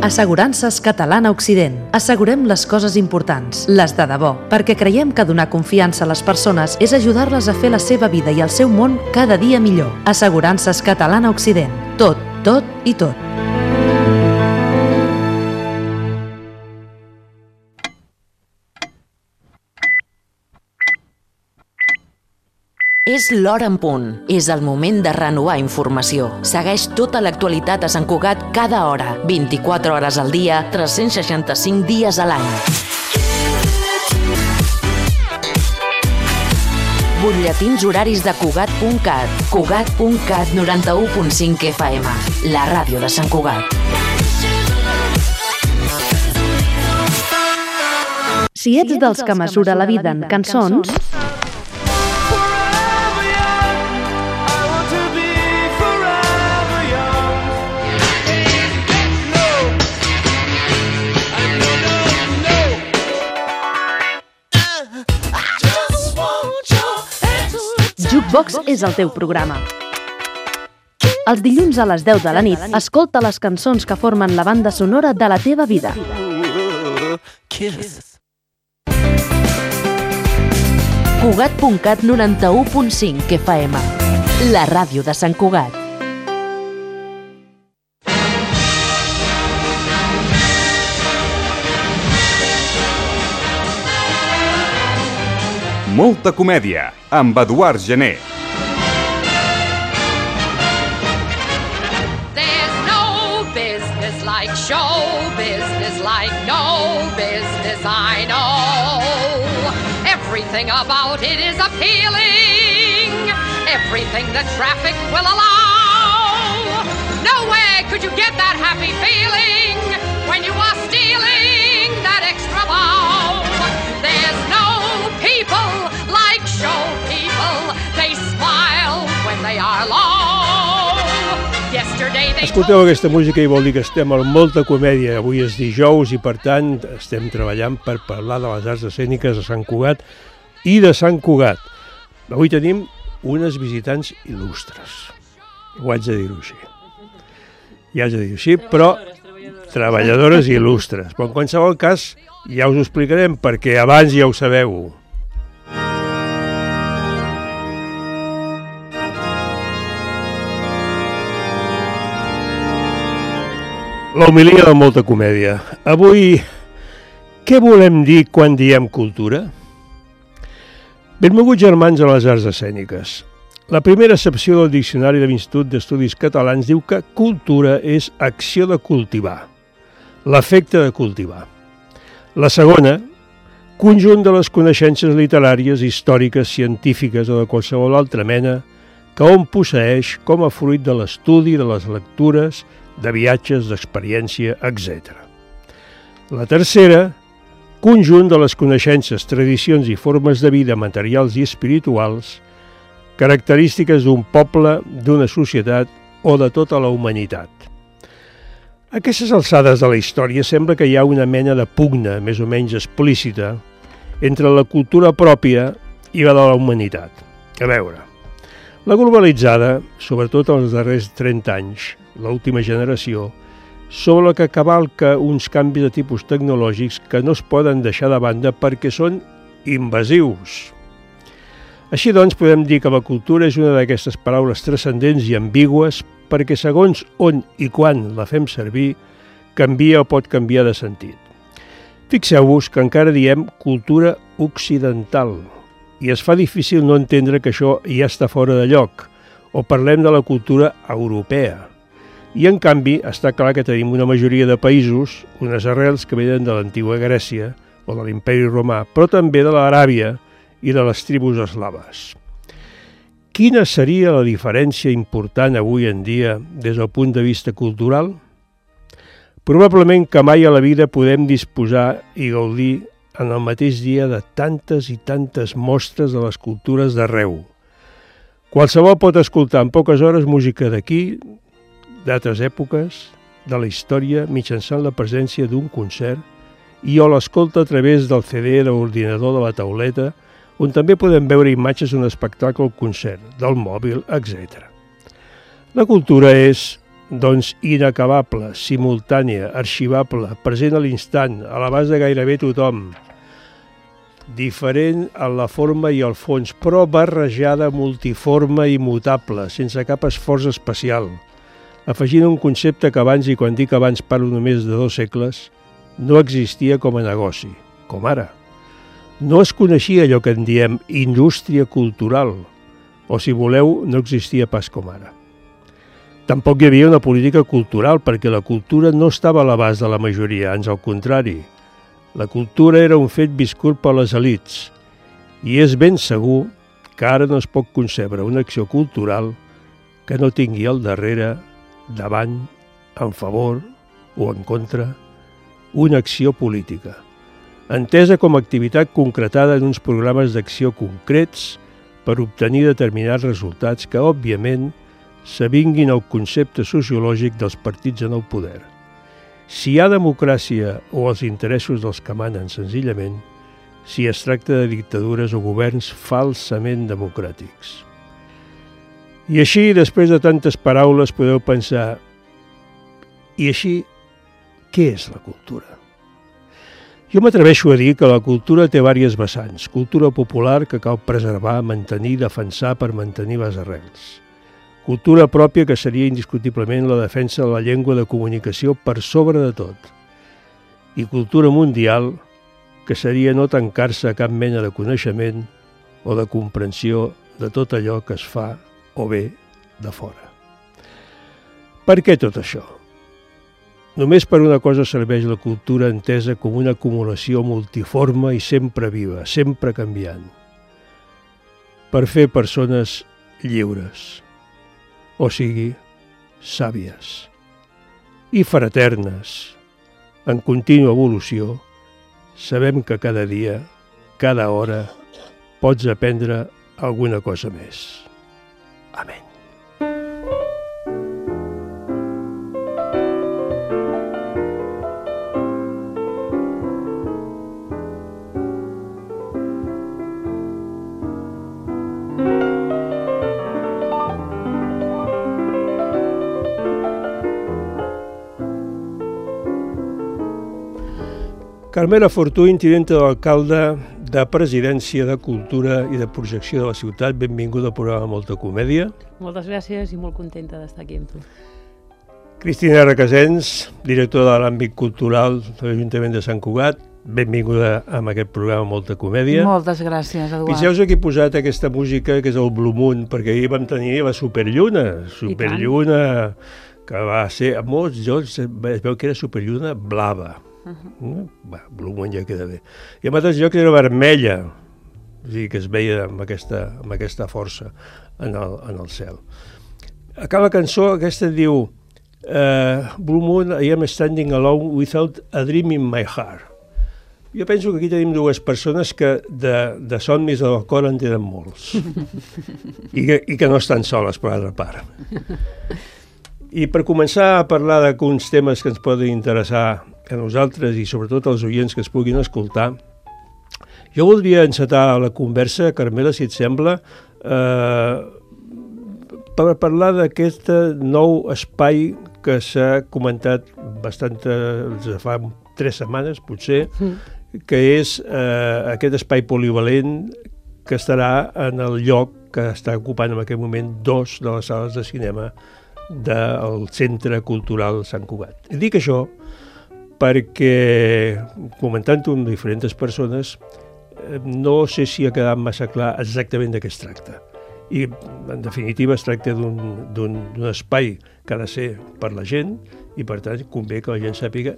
Assegurances Catalana Occident. Assegurem les coses importants, les de debò, perquè creiem que donar confiança a les persones és ajudar-les a fer la seva vida i el seu món cada dia millor. Assegurances Catalana Occident. Tot, tot i tot. És l'hora en punt. És el moment de renovar informació. Segueix tota l'actualitat a Sant Cugat cada hora, 24 hores al dia, 365 dies a l'any. Butlletins horaris de Cugat.cat. Cugat.cat 91.5 FM. La ràdio de Sant Cugat. Si ets dels que mesura la vida en cançons, Jukebox és el teu programa. Els dilluns a les 10 de la nit, escolta les cançons que formen la banda sonora de la teva vida. Cugat.cat 91.5 FM. La ràdio de Sant Cugat. Molta comèdia, amb Eduard Gené. There's no business like show business, like no business I know. Everything about it is appealing, everything the traffic will allow. Nowhere could you get that happy feeling when you are stealing that extra bow. There's no people like show people, they smile when they are low. Yesterday they... Escolteu aquesta música i vol dir que estem amb molta comèdia. Avui és dijous i per tant estem treballant per parlar de les arts escèniques de Sant Cugat i de Sant Cugat. Avui tenim unes visitants il·lustres. Ho haig de dir-ho així. Ja haig de dir-ho així, però treballadores il·lustres. Però en qualsevol cas ja us ho explicarem perquè abans ja ho sabeu. La homilia de molta comèdia. Avui, què volem dir quan diem cultura? Benvinguts germans a les arts escèniques. La primera accepció del Diccionari de l'Institut d'Estudis Catalans diu que cultura és acció de cultivar, l'efecte de cultivar. La segona, conjunt de les coneixences literàries, històriques, científiques o de qualsevol altra mena que hom posseeix com a fruit de l'estudi, de les lectures, de viatges, d'experiència, etc. La tercera, conjunt de les coneixences, tradicions i formes de vida materials i espirituals, característiques d'un poble, d'una societat o de tota la humanitat. A aquestes alçades de la història sembla que hi ha una mena de pugna, més o menys explícita, entre la cultura pròpia i la de la humanitat. A veure, la globalitzada, sobretot els darrers 30 anys, l'última generació, sobre la que cavalca uns canvis de tipus tecnològics que no es poden deixar de banda perquè són invasius. Així doncs, podem dir que la cultura és una d'aquestes paraules transcendents i ambigües perquè segons on i quan la fem servir, canvia o pot canviar de sentit. Fixeu-vos que encara diem cultura occidental i es fa difícil no entendre que això ja està fora de lloc, o parlem de la cultura europea. I, en canvi, està clar que tenim una majoria de països, unes arrels que venen de l'antiga Grècia o de l'Imperi Romà, però també de l'Aràbia i de les tribus eslaves. Quina seria la diferència important avui en dia des del punt de vista cultural? Probablement que mai a la vida podem disposar i gaudir en el mateix dia de tantes i tantes mostres de les cultures d'arreu. Qualsevol pot escoltar en poques hores música d'aquí, d'altres èpoques, de la història, mitjançant la presència d'un concert, i o l'escolta a través del CD, de l'ordinador, de la tauleta, on també podem veure imatges d'un espectacle o concert, del mòbil, etc. La cultura és doncs inacabable, simultània, arxivable, present a l'instant, a l'abast de gairebé tothom, diferent en la forma i el fons, però barrejada, multiforme i mutable, sense cap esforç especial, afegint un concepte que abans, i quan dic abans parlo només de 2 segles, no existia com a negoci, com ara. No es coneixia allò que en diem indústria cultural, o si voleu, no existia pas com ara. Tampoc hi havia una política cultural, perquè la cultura no estava a l'abast de la majoria, ans al contrari. La cultura era un fet viscut per les elits, i és ben segur que ara no es pot concebre una acció cultural que no tingui al darrere, davant, en favor o en contra, una acció política, entesa com a activitat concretada en uns programes d'acció concrets per obtenir determinats resultats que, òbviament, s'avinguin al concepte sociològic dels partits en el poder. Si hi ha democràcia o els interessos dels que manen senzillament, si es tracta de dictadures o governs falsament democràtics. I així, després de tantes paraules, podeu pensar, i així, què és la cultura? Jo m'atreveixo a dir que la cultura té diverses vessants. Cultura popular que cal preservar, mantenir, defensar per mantenir les arrels. Cultura pròpia que seria indiscutiblement la defensa de la llengua de comunicació per sobre de tot. I cultura mundial que seria no tancar-se a cap mena de coneixement o de comprensió de tot allò que es fa o ve de fora. Per què tot això? Només per una cosa serveix la cultura entesa com una acumulació multiforme i sempre viva, sempre canviant. Per fer persones lliures, o sigui, sàvies i fraternes, en contínua evolució, sabem que cada dia, cada hora, pots aprendre alguna cosa més. Amén. Carmela Fortuny, tinenta d'alcalde de Presidència de Cultura i de Projecció de la Ciutat. Benvinguda al programa Molta Comèdia. Moltes gràcies i molt contenta d'estar aquí amb tu. Cristina Requesens, directora de l'àmbit cultural de l'Ajuntament de Sant Cugat. Benvinguda a aquest programa Molta Comèdia. Moltes gràcies, Eduard. Fixeu-vos que he posat aquesta música, que és el Blue Moon, perquè ahir vam tenir la Superlluna. Superlluna que va ser, a molts llocs es veu que era Superlluna blava. Blue Moon ja queda bé. I a altres llocs era vermella, o sigui que es veia amb aquesta força en el cel. Acaba la cançó, aquesta diu Blue Moon, I am standing alone without a dream in my heart. Jo penso que aquí tenim dues persones que de somnis al cor en tenen molts i que no estan soles, per altra part. I per començar a parlar d'alguns temes que ens poden interessar a nosaltres i sobretot als oients que es puguin escoltar, jo voldria encetar la conversa, Carmela, si et sembla, per parlar d'aquest nou espai que s'ha comentat fa 3 setmanes, potser, que és aquest espai polivalent que estarà en el lloc que està ocupant en aquest moment 2 de les sales de cinema del Centre Cultural Sant Cugat. I dic això perquè, comentant-ho amb diferents persones, no sé si ha quedat massa clar exactament de què es tracta. I, en definitiva, es tracta d'un espai que ha de ser per la gent i, per tant, convé que la gent sàpiga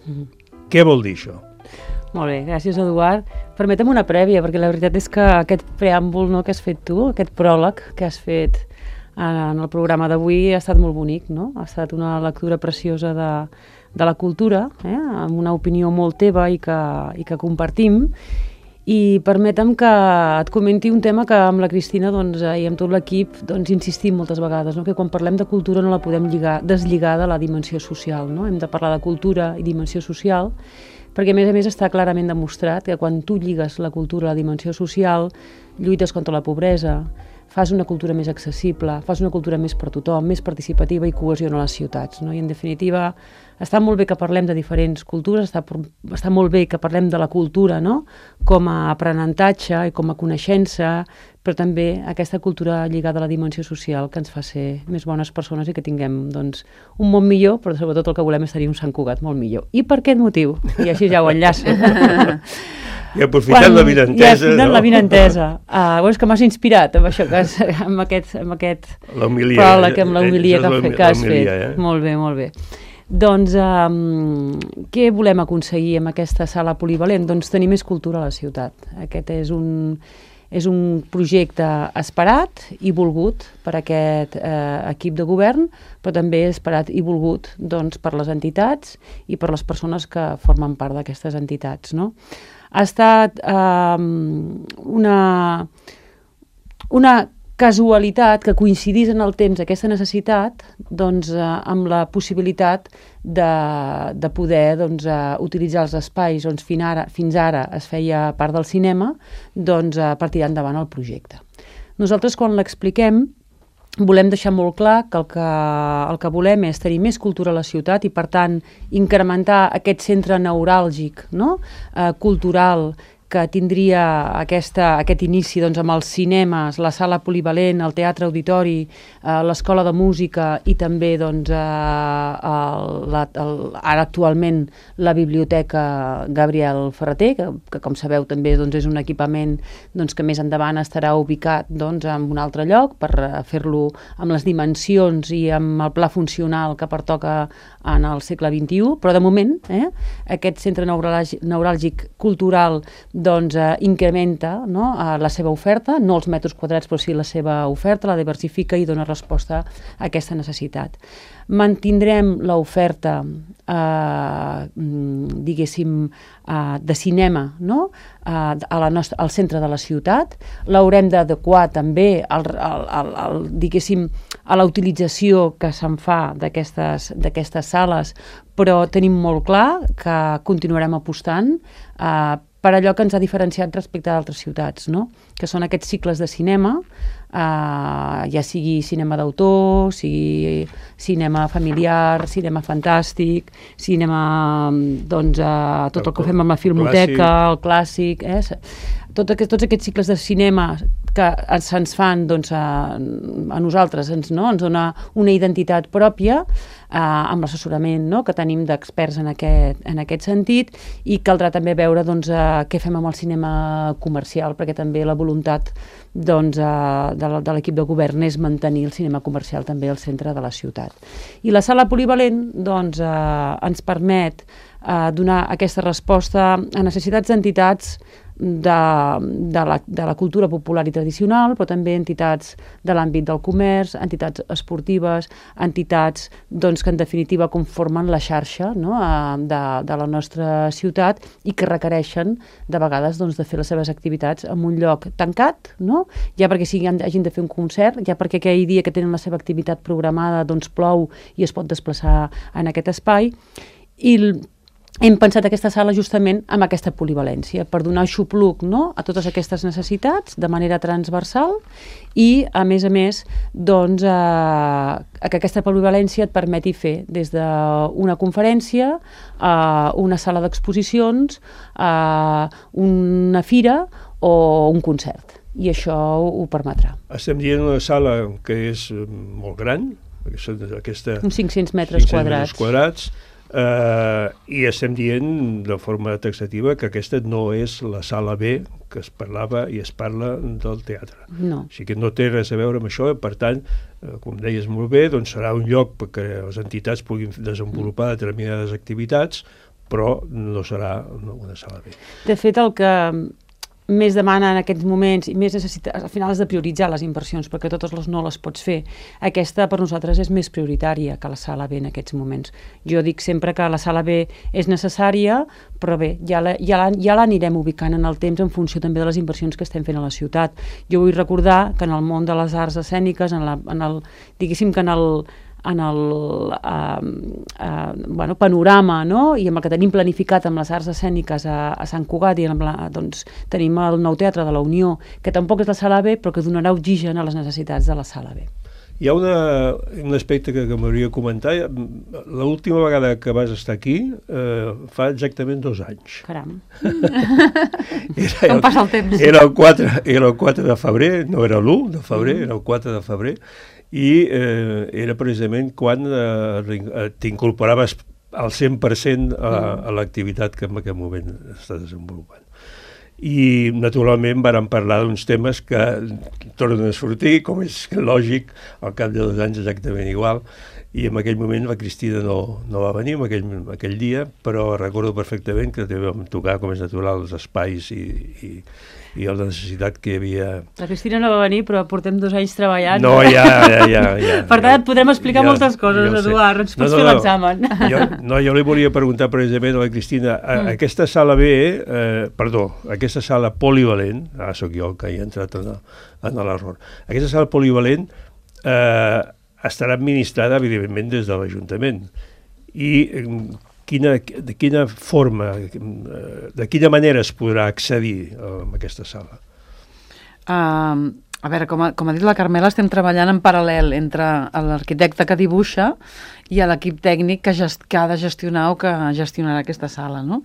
què vol dir això. Molt bé, gràcies, Eduard. Permetem una prèvia, perquè la veritat és que aquest preàmbul que has fet tu, aquest pròleg que has fet en el programa d'avui ha estat molt bonic, no? Ha estat una lectura preciosa de la cultura, amb una opinió molt teva i que compartim. I permetem que et comenti un tema que amb la Cristina i amb tot l'equip insistim moltes vegades, que quan parlem de cultura no la podem deslligar de la dimensió social. Hem de parlar de cultura i dimensió social, perquè a més està clarament demostrat que quan tu lligues la cultura a la dimensió social, lluites contra la pobresa, fas una cultura més accessible, fas una cultura més per tothom, més participativa i cohesiona les ciutats, no? I en definitiva està molt bé que parlem de diferents cultures, està molt bé que parlem de la cultura, no? Com a aprenentatge i com a coneixença, però també aquesta cultura lligada a la dimensió social que ens fa ser més bones persones i que tinguem doncs, un món millor, però sobretot el que volem és tenir un Sant Cugat molt millor. I per aquest motiu? I així ja ho enllaço. I aprofitant la vinentesa, no? La vinentesa. És que m'has inspirat amb això, amb aquest pròleg, amb l'homilia que has fet. Molt bé, molt bé. Doncs què volem aconseguir amb aquesta sala polivalent? Doncs tenir més cultura a la ciutat. Aquest és un projecte esperat i volgut per aquest equip de govern, però també esperat i volgut doncs, per les entitats i per les persones que formen part d'aquestes entitats, no? Ha estat una casualitat que coincidís en el temps aquesta necessitat doncs, amb la possibilitat de poder doncs, utilitzar els espais on fins ara es feia part del cinema doncs, per tirar endavant el projecte. Nosaltres quan l'expliquem volem deixar molt clar que el que volem és tenir més cultura a la ciutat i, per tant, incrementar aquest centre neuràlgic, no? Cultural, que tindria aquest inici doncs, amb els cinemes, la sala polivalent, el teatre auditori, l'escola de música i també doncs, ara actualment la biblioteca Gabriel Ferrater, que com sabeu també doncs, és un equipament doncs, que més endavant estarà ubicat doncs, en un altre lloc per fer-lo amb les dimensions i amb el pla funcional que pertoca en el segle XXI, però de moment aquest centre neuràlgic cultural doncs incrementa, no, la seva oferta, no els metres quadrats, però sí la seva oferta, la diversifica i dona resposta a aquesta necessitat. Mantindrem l'oferta, diguéssim, de cinema, no? Al centre de la ciutat. L'haurem d'adequar també diguéssim, a la utilització que se'n fa d'aquestes sales, però tenim molt clar que continuarem apostant per allò que ens ha diferenciat respecte d'altres ciutats, no? Que són aquests cicles de cinema, ja sigui cinema d'autor, sigui cinema familiar, cinema fantàstic, cinema, doncs, tot el que fem amb la filmoteca, el clàssic, tots aquests cicles de cinema que se'ns fan doncs, a nosaltres, ens dona una identitat pròpia amb l'assessorament que tenim d'experts en aquest sentit, i caldrà també veure doncs, què fem amb el cinema comercial, perquè també la voluntat doncs, de l'equip de govern és mantenir el cinema comercial també al centre de la ciutat. I la sala polivalent doncs, ens permet donar aquesta resposta a necessitats d'entitats de la cultura popular i tradicional, però també entitats de l'àmbit del comerç, entitats esportives, entitats doncs, que en definitiva conformen la xarxa, no? de la nostra ciutat i que requereixen de vegades doncs, de fer les seves activitats en un lloc tancat, no? Ja perquè hagin de fer un concert, ja perquè aquell dia que tenen la seva activitat programada doncs, plou i es pot desplaçar en aquest espai, i hem pensat aquesta sala justament amb aquesta polivalència, per donar xupluc, no?, a totes aquestes necessitats de manera transversal i, a més, doncs, que aquesta polivalència et permeti fer des d'una conferència, una sala d'exposicions, una fira o un concert. I això ho permetrà. Estem dient una sala que és molt gran, uns 500 metres quadrats. I estem dient de forma taxativa que aquesta no és la sala B que es parlava i es parla del teatre. No. O sigui que no té res a veure amb això, per tant, com deies molt bé, doncs serà un lloc perquè les entitats puguin desenvolupar determinades activitats, però no serà una sala B. De fet, el que més demana en aquests moments i més necessita, al final has de prioritzar les inversions perquè totes no les pots fer. Aquesta per nosaltres és més prioritària que la sala B en aquests moments. Jo dic sempre que la sala B és necessària, però bé, ja l'anirem ubicant en el temps en funció també de les inversions que estem fent a la ciutat. Jo vull recordar que en el món de les arts escèniques, diguéssim que panorama, no? I amb el que tenim planificat amb les arts escèniques a Sant Cugat i doncs, tenim el nou teatre de la Unió, que tampoc és la sala B, però que donarà oxigen a les necessitats de la sala B. Hi ha un aspecte que m'hauria de comentar. L'última vegada que vas estar aquí fa exactament 2 anys. Caram. Com passa el temps? Era el 4 de febrer, no era l'1 de febrer, era el 4 de febrer, i era precisament quan t'incorporaves al 100% a l'activitat que en aquest moment està desenvolupant. I naturalment vàrem parlar d'uns temes que tornen a sortir, com és lògic, al cap de 2 anys exactament igual, i en aquell moment la Cristina no va venir aquell dia, però recordo perfectament que també vam tocar, com és natural, els espais i la necessitat que hi havia... La Cristina no va venir, però portem 2 anys treballant. No, ja. Per tant, et podrem explicar moltes coses, Eduard, ens pots fer l'examen. Jo li volia preguntar precisament a la Cristina, aquesta sala B, aquesta sala polivalent, sóc jo el que hi ha entrat en l'error, aquesta sala polivalent estarà administrada, evidentment, des de l'Ajuntament. I de quina forma, de quina manera es podrà accedir a aquesta sala? A veure, com ha dit la Carmela, estem treballant en paral·lel entre l'arquitecte que dibuixa i l'equip tècnic que ha de gestionar o que gestionarà aquesta sala, no?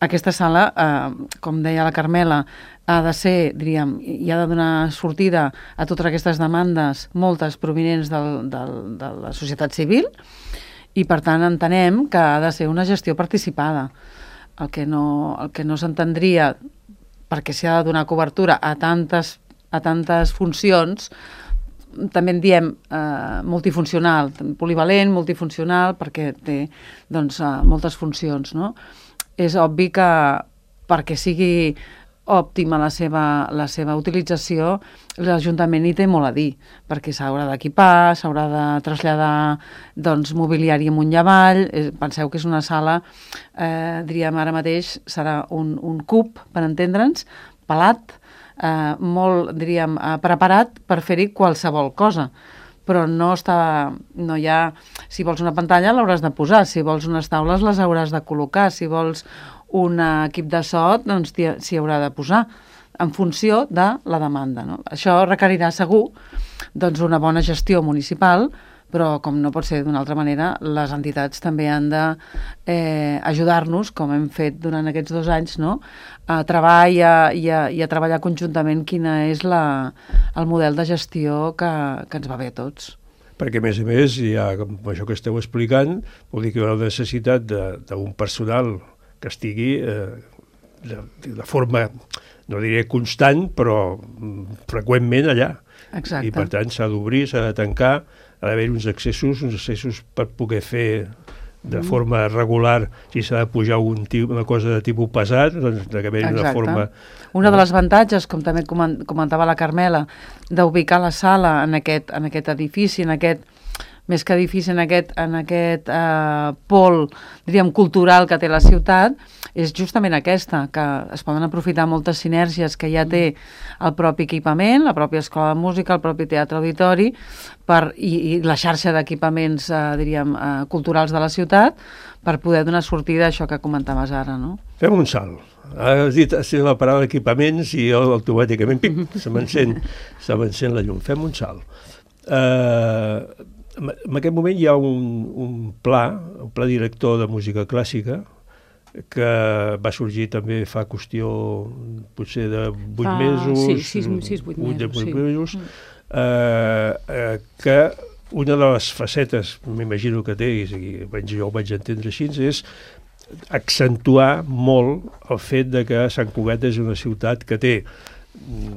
Aquesta sala, com deia la Carmela, ha de ser, diríem, i ha de donar sortida a totes aquestes demandes, moltes provinents de la societat civil, i per tant entenem que ha de ser una gestió participada. El que no s'entendria, perquè s'hi ha de donar cobertura a tantes funcions, també en diem multifuncional, polivalent, multifuncional, perquè té doncs, moltes funcions, no? És obvi que perquè sigui òptima la seva utilització, l'Ajuntament hi té molt a dir, perquè s'haurà d'equipar, s'haurà de traslladar doncs, mobiliari amunt i avall. Penseu que és una sala, diríem ara mateix, serà un cub, per entendre'ns, pelat, molt, diríem, preparat per fer-hi qualsevol cosa. Però no hi ha... Si vols una pantalla l'hauràs de posar, si vols unes taules les hauràs de col·locar, si vols un equip de so, doncs s'hi haurà de posar, en funció de la demanda, no? Això requerirà segur doncs, una bona gestió municipal, però com no pot ser d'una altra manera, les entitats també han d'ajudar-nos, com hem fet durant aquests 2 anys, no? A treballar i a treballar conjuntament quina és el model de gestió que ens va bé a tots. Perquè, a més, ja, com això que esteu explicant, vol dir que hi haurà la necessitat d'un personal que estigui de forma, no diré constant, però freqüentment allà. Exacte. I per tant s'ha d'obrir, s'ha de tancar, ha d'haver uns accessos per poder fer de forma regular, si s'ha de pujar una cosa de tipus pesat, doncs d'haver una forma... Una de les avantatges, com també comentava la Carmela, d'ubicar la sala en aquest edifici, més que edifici, en aquest pol, diríem, cultural que té la ciutat, és justament aquesta, que es poden aprofitar moltes sinergies que ja té el propi equipament, la pròpia escola de música, el propi teatre auditori, i la xarxa d'equipaments, diríem, culturals de la ciutat, per poder donar sortida a això que comentaves ara, no? Fem un salt. Has dit la paraula equipaments i automàticament, se m'encén la llum. Fem un salt. En aquest moment hi ha un pla director de música clàssica, que va sorgir també fa qüestió potser de 8 mesos. Sí, 8 mesos. Que una de les facetes, m'imagino que té, i jo ho vaig entendre així, és accentuar molt el fet de que Sant Cugat és una ciutat que té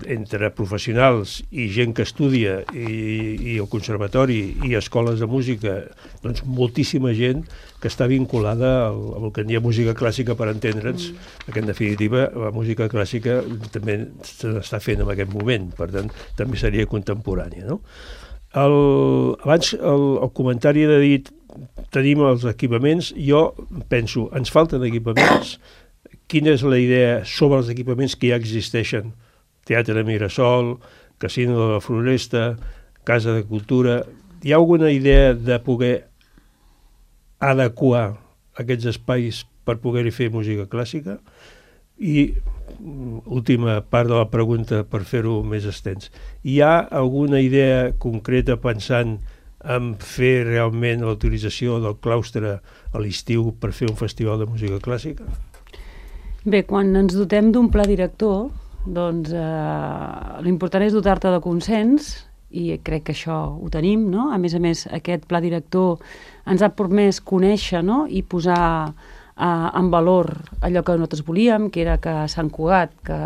entre professionals i gent que estudia i el conservatori i escoles de música, doncs moltíssima gent que està vinculada al que en dia música clàssica, per entendre'ns, que en definitiva la música clàssica també se n'està fent en aquest moment, per tant també seria contemporània, no? Abans el comentari de dit tenim els equipaments, jo penso, ens falten equipaments, quina és la idea sobre els equipaments que ja existeixen? Teatre de Mirasol, Casino de la Floresta, Casa de Cultura, hi ha alguna idea de poder adequar aquests espais per poder-hi fer música clàssica? I última part de la pregunta per fer-ho més extens. Hi ha alguna idea concreta pensant en fer realment la utilització del claustre a l'estiu per fer un festival de música clàssica? Bé, quan ens dotem d'un pla director, doncs l'important és dotar-te de consens, i crec que això ho tenim, no? A més, aquest pla director ens ha permès conèixer, no? I posar en valor allò que nosaltres volíem, que era que Sant Cugat, que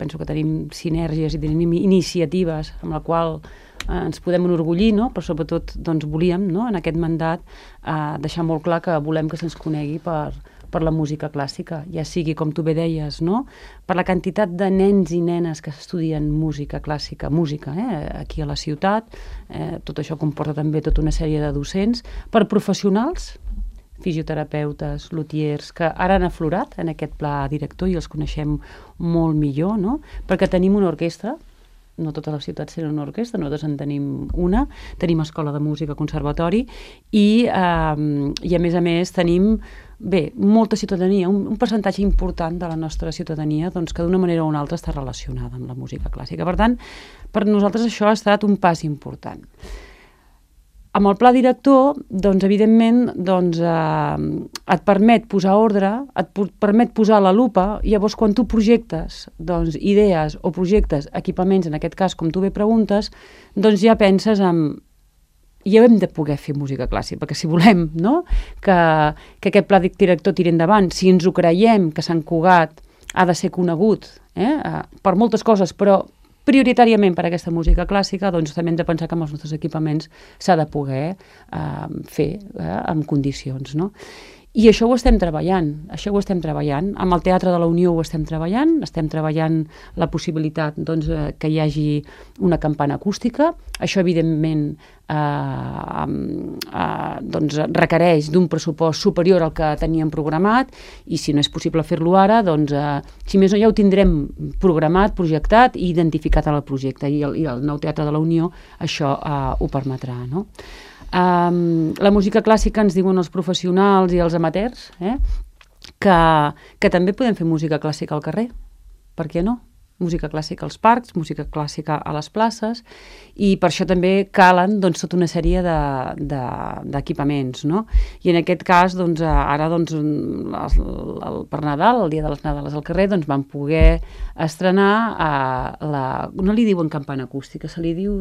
penso que tenim sinergies i tenim iniciatives amb la qual ens podem enorgullir, no? Però sobretot doncs, volíem, no? En aquest mandat deixar molt clar que volem que se'ns conegui per la música clàssica, ja sigui, com tu bé deies, no? Per la quantitat de nens i nenes que estudien música clàssica, aquí a la ciutat, tot això comporta també tota una sèrie de docents, per professionals, fisioterapeutes, lutiers, que ara han aflorat en aquest pla director i els coneixem molt millor, no? Perquè tenim una orquestra, no totes les ciutats tenen una orquestra, nosaltres en tenim una, tenim escola de música, conservatori, i a més tenim molta ciutadania, un percentatge important de la nostra ciutadania doncs, que d'una manera o una altra està relacionada amb la música clàssica. Per tant, per nosaltres això ha estat un pas important. Amb el pla director, doncs, evidentment, et permet posar ordre, et permet posar la lupa, i llavors quan tu projectes doncs, idees o projectes, equipaments, en aquest cas, com tu bé preguntes, doncs ja penses en... Ja hem de poder fer música clàssica, perquè si volem, no? que aquest pla director tiri endavant, si ens ho creiem que Sant Cugat ha de ser conegut per moltes coses, però prioritàriament per aquesta música clàssica, doncs també hem de pensar que amb els nostres equipaments s'ha de poder fer en condicions, no? I això ho estem treballant, Amb el Teatre de la Unió ho estem treballant la possibilitat doncs, que hi hagi una campana acústica. Això, evidentment, doncs, requereix d'un pressupost superior al que teníem programat, i si no és possible fer-lo ara, doncs, si més no ja ho tindrem programat, projectat i identificat al projecte, i el nou Teatre de la Unió això ho permetrà, no? La música clàssica, ens diuen els professionals i els amateurs, que també podem fer música clàssica al carrer. Per què no? Música clàssica als parcs, música clàssica a les places, i per això també calen doncs, tota una sèrie d'equipaments, no? I en aquest cas, doncs, ara doncs, per Nadal, el dia de les Nadales al carrer, doncs, vam poder estrenar no li diuen campana acústica, se li diu,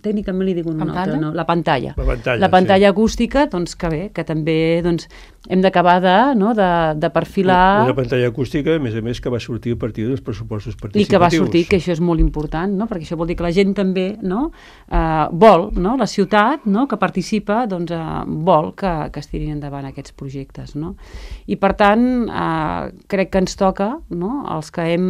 tècnicament li diuen una altra, no? La pantalla. La pantalla acústica, doncs, que bé, que també doncs, hem d'acabar de perfilar... Una pantalla acústica, a més, que va sortir a partir dels pressupostos participatius. I que va sortir, que això és molt important, no? Perquè això vol dir que la gent també, no? Vol, no? La ciutat, no? Que participa, doncs, vol que es tirin endavant aquests projectes, no? I per tant, crec que ens toca, no? Els que hem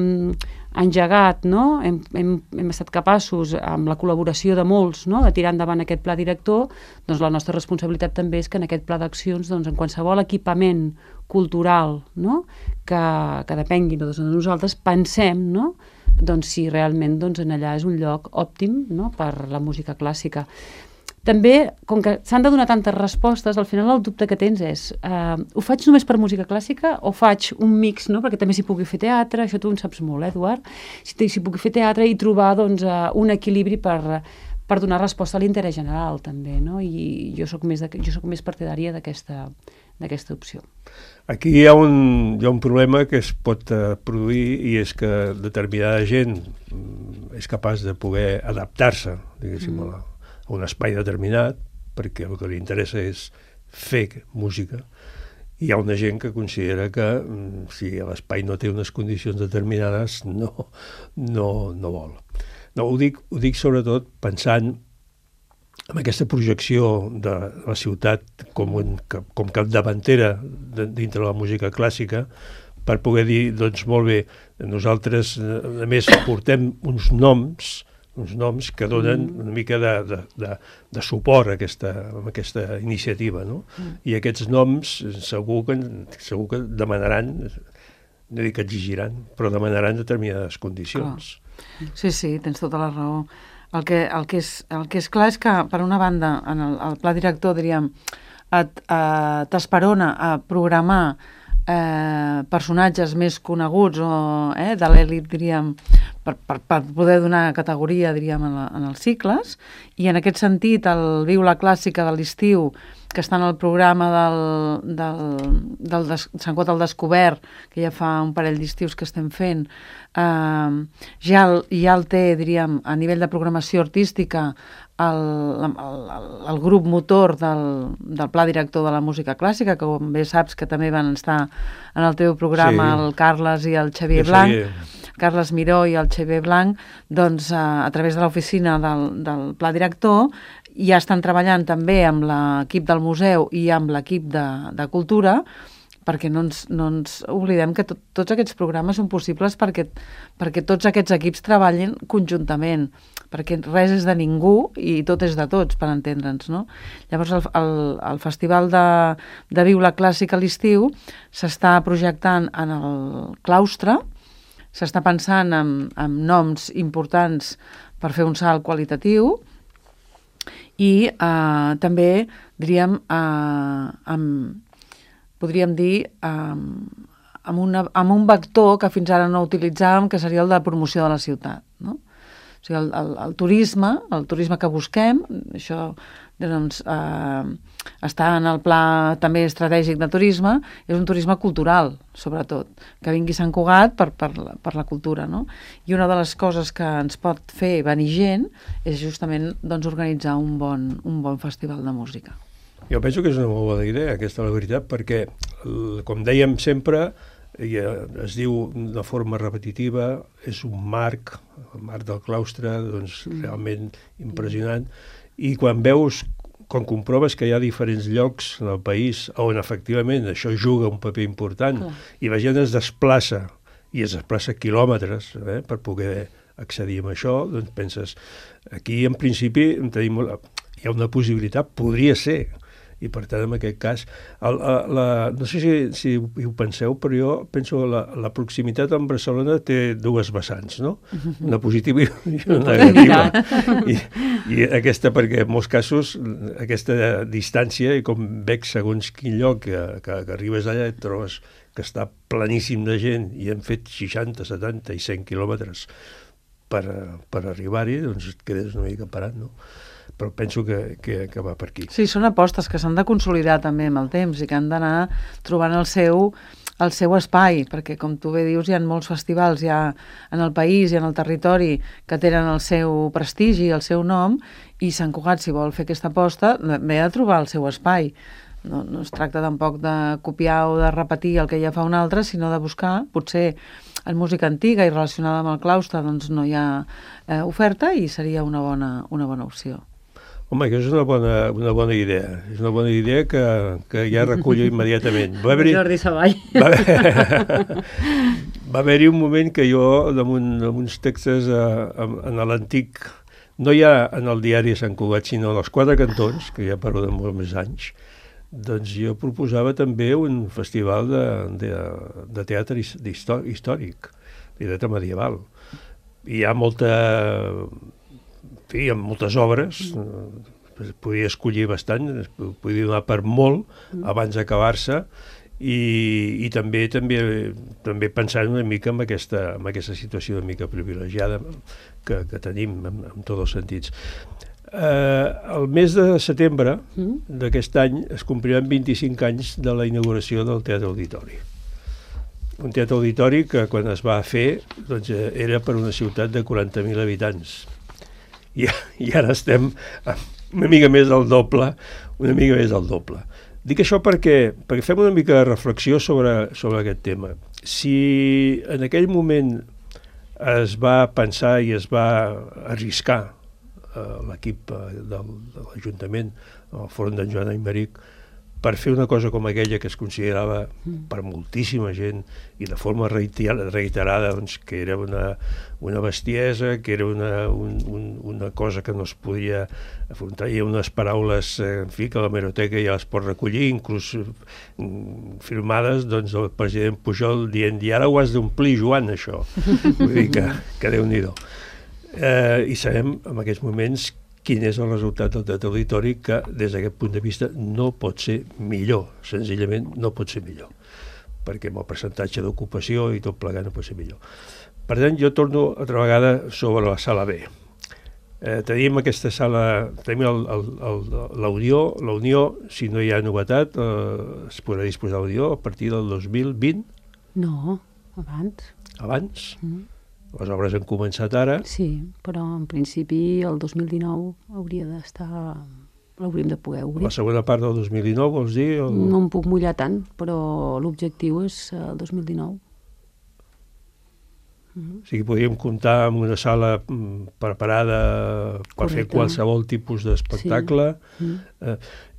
engegat, no? Hem estat capaços, amb la col·laboració de molts, no? De tirar endavant aquest pla director, doncs la nostra responsabilitat també és que en aquest pla d'accions, doncs, en qualsevol equipament cultural, no? que depengui de nosaltres, pensem, no? Doncs si realment doncs, en allà és un lloc òptim, no? Per la música clàssica. També, com que s'han de donar tantes respostes, al final el dubte que tens és ho faig només per música clàssica o faig un mix, no? Perquè també s'hi pugui fer teatre, això tu en saps molt, Eduard, s'hi pugui fer teatre i trobar doncs, un equilibri per donar resposta a l'interès general també, no? I jo soc més partidària d'aquesta opció. Aquí hi ha un problema que es pot produir, i és que determinada gent és capaç de poder adaptar-se, diguéssim, a un espai determinat, perquè el que li interessa és fer música. Hi ha una gent que considera que si l'espai no té unes condicions determinades no vol. No, ho dic sobretot pensant en aquesta projecció de la ciutat com capdavantera dintre de la música clàssica, per poder dir, doncs molt bé, nosaltres a més portem uns noms que donen una mica de suport a aquesta iniciativa, no? I aquests noms segur que demanaran, no dic que exigiran, però demanaran determinades condicions. Sí, tens tota la raó. el que és clar és que, per una banda, en el pla director, diríem, t'esperona a programar personatges més coneguts de l'elit, diríem, per poder donar categoria, diríem, en els cicles, i en aquest sentit el Viu la Clàssica de l'estiu, que està en el programa del Sant Quot al Descobert, que ja fa un parell d'estius que estem fent, ja el té, diríem, a nivell de programació artística, el grup motor del pla director de la música clàssica, que com bé saps que també van estar en el teu programa, sí, el Carles i el Xavier Blanc, Carles Miró i el Xavier Blanc, doncs a través de l'oficina del pla director ja estan treballant també amb l'equip del museu i amb l'equip de cultura, perquè no ens oblidem que tots aquests programes són possibles perquè tots aquests equips treballin conjuntament, perquè res és de ningú i tot és de tots, per entendre'ns, no? Llavors el Festival de Viu la Clàssica a l'estiu s'està projectant en el claustre, s'està pensant en noms importants per fer un salt qualitatiu i també, diríem, podríem dir, amb un vector que fins ara no utilitzàvem, que seria el de promoció de la ciutat, no? O sigui, el turisme que busquem, això doncs, està en el pla també estratègic de turisme, és un turisme cultural, sobretot, que vingui a Sant Cugat per la cultura, no? I una de les coses que ens pot fer venir gent és justament doncs, organitzar un bon festival de música. Jo penso que és una molt bona idea, aquesta, la veritat, perquè, com dèiem sempre, es diu de forma repetitiva, és un marc, el marc del claustre, doncs realment impressionant, i quan comproves que hi ha diferents llocs en el país on efectivament això juga un paper important i la gent es desplaça quilòmetres per poder accedir a això, doncs penses, aquí en principi hi ha una possibilitat, podria ser, i per tant, en aquest cas, no sé si ho penseu, però jo penso que la proximitat amb Barcelona té dues vessants, no? Una positiva i una negativa. I aquesta, perquè en molts casos, aquesta distància, i com veig segons quin lloc que arribes allà et trobes que està planíssim de gent i han fet 60, 70 i 100 quilòmetres per arribar-hi, doncs et quedes una mica parat, no? Però penso que va per aquí. Sí, són apostes que s'han de consolidar també amb el temps i que han d'anar trobant el seu espai, perquè com tu bé dius hi ha molts festivals ja en el país i en el territori que tenen el seu prestigi, el seu nom, i Sant Cugat, si vol fer aquesta aposta, ve a trobar el seu espai. No es tracta tampoc de copiar o de repetir el que ja fa un altre, sinó de buscar, potser en música antiga i relacionada amb el claustre doncs no hi ha oferta i seria una bona opció. Home, que és una bona idea. És una bona idea que ja recullo immediatament. Jordi Savall. Va haver-hi un moment que jo, damunt uns textos en l'antic, no ja en el diari de Sant Cugat, sinó en els Quatre Cantons, que ja parlo de molts més anys, doncs jo proposava també un festival de teatre històric, de teatre medieval. Hi ha moltes obres, podia escollir bastant, podia donar per molt abans d'acabar-se, i també pensant una mica en aquesta situació una mica privilegiada que tenim en tots els sentits. El mes de setembre d'aquest any es compliran 25 anys de la inauguració del Teatre Auditori. Un teatre auditori que quan es va fer doncs, era per una ciutat de 40.000 habitants. I ara estem una mica més del doble. Dic això perquè fem una mica de reflexió sobre aquest tema. Si en aquell moment es va pensar i es va arriscar l'equip de l'Ajuntament, al Fòrum d'en Joan Aymeric, per fer una cosa com aquella que es considerava per moltíssima gent i de forma reiterada doncs, que era una bestiesa, que era una cosa que no es podia afrontar. Hi ha unes paraules en fi, que la hemeroteca ja les pot recollir, inclús firmades doncs, del president Pujol dient i ara ho has d'omplir, Joan, això. Vull dir que Déu-n'hi-do. I sabem en aquests moments quin és el resultat del teatre auditori, que des d'aquest punt de vista no pot ser millor, senzillament no pot ser millor, perquè amb el percentatge d'ocupació i tot plegat no pot ser millor. Per tant, jo torno altra vegada sobre la sala B. Tenim aquesta sala, tenim la Unió, si no hi ha novetat, es podrà disposar de l'Unió a partir del 2020? No, abans. Abans? Les obres han començat ara. Sí, però en principi el 2019 hauria d'estar... l'hauríem de poder obrir. La segona part del 2019, vols dir? No em puc mullar tant, però l'objectiu és el 2019. O sigui, podríem comptar amb una sala preparada per fer qualsevol tipus d'espectacle. Sí.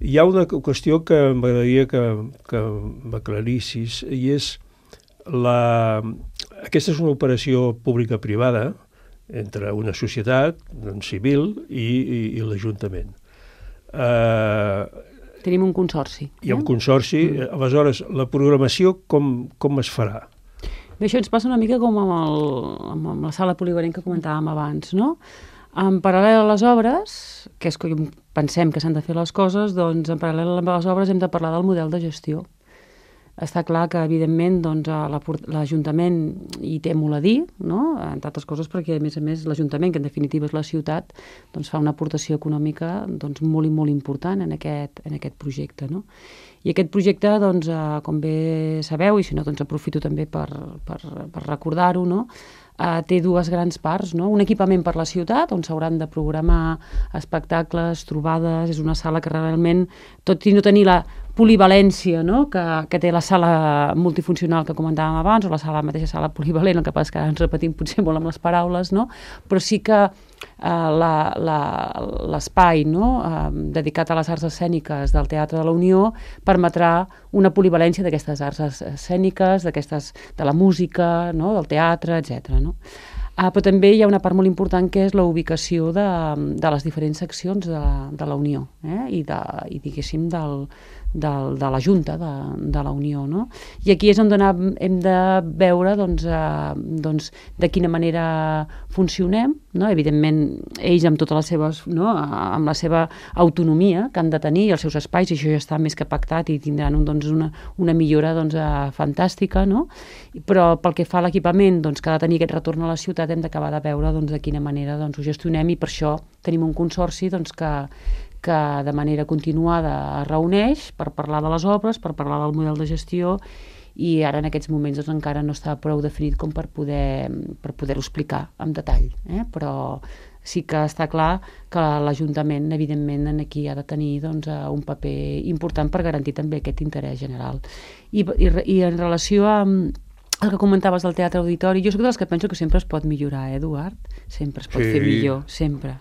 Hi ha una qüestió que m'agradaria que m'aclarissis, i és aquesta és una operació pública-privada entre una societat civil i l'Ajuntament. Tenim un consorci. Hi ha un consorci. Aleshores, la programació com es farà? Bé, això ens passa una mica com amb la sala polivalent que comentàvem abans, no? En paral·lel a les obres, que és com pensem que s'han de fer les coses, doncs en paral·lel a les obres hem de parlar del model de gestió. Està clar que, evidentment, doncs, l'Ajuntament hi té molt a dir, no? Entre altres coses perquè, a més, l'Ajuntament, que en definitiva és la ciutat, doncs, fa una aportació econòmica doncs, molt i molt important en aquest projecte, no? I aquest projecte, doncs, com bé sabeu, i si no, doncs aprofito també per recordar-ho, no? Té dues grans parts, no? Un equipament per la ciutat, on s'hauran de programar espectacles, trobades, és una sala que realment, tot i no tenir la polivalència, no? que té la sala multifuncional que comentàvem abans, o la mateixa sala polivalent, el que passa és que ara ens repetim potser molt amb les paraules, no? Però sí que l'espai, no? Dedicat a les arts escèniques del Teatre de la Unió permetrà una polivalència d'aquestes arts escèniques, de la música, no? Del teatre, etc. No? Però també hi ha una part molt important que és la ubicació de les diferents seccions de la Unió, i diguéssim de la Junta de la Unió, no? I aquí és on hem de veure doncs, de quina manera funcionem, no? Evidentment ells amb totes les seves, no? Amb la seva autonomia que han de tenir, els seus espais, i això ja està més que pactat i tindran una millora fantàstica, no? Però pel que fa a l'equipament, doncs, que ha de tenir aquest retorn a la ciutat, hem d'acabar de veure de quina manera ho gestionem, i per això tenim un consorci que de manera continuada es reuneix per parlar de les obres, per parlar del model de gestió, i ara en aquests moments encara no està prou definit com per poder-ho explicar en detall. Però sí que està clar que l'Ajuntament, evidentment, aquí ha de tenir un paper important per garantir també aquest interès general. I en relació a el que comentaves del teatre auditori, jo soc de les que penso que sempre es pot millorar, Eduard? Sempre es pot fer millor, sempre.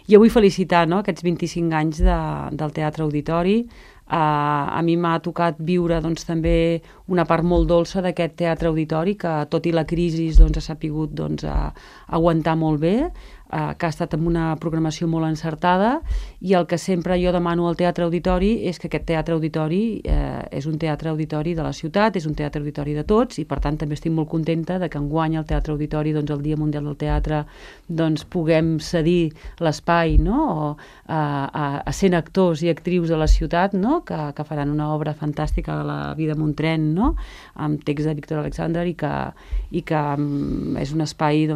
Jo vull felicitar aquests 25 anys del Teatre Auditori. A mi m'ha tocat viure també una part molt dolça d'aquest Teatre Auditori, que tot i la crisi ha sapigut aguantar molt bé, que ha estat amb una programació molt encertada, i el que sempre jo demano al Teatre Auditori és que aquest Teatre Auditori és un teatre auditori de la ciutat, és un teatre auditori de tots, i per tant també estic molt contenta de que enguany el Teatre Auditori, el Dia Mundial del Teatre, puguem cedir l'espai, no? a 100 actors i actrius de la ciutat, no? que faran una obra fantàstica de la vida Montrent, no? Amb text de Víctor Alexander, i que és un espai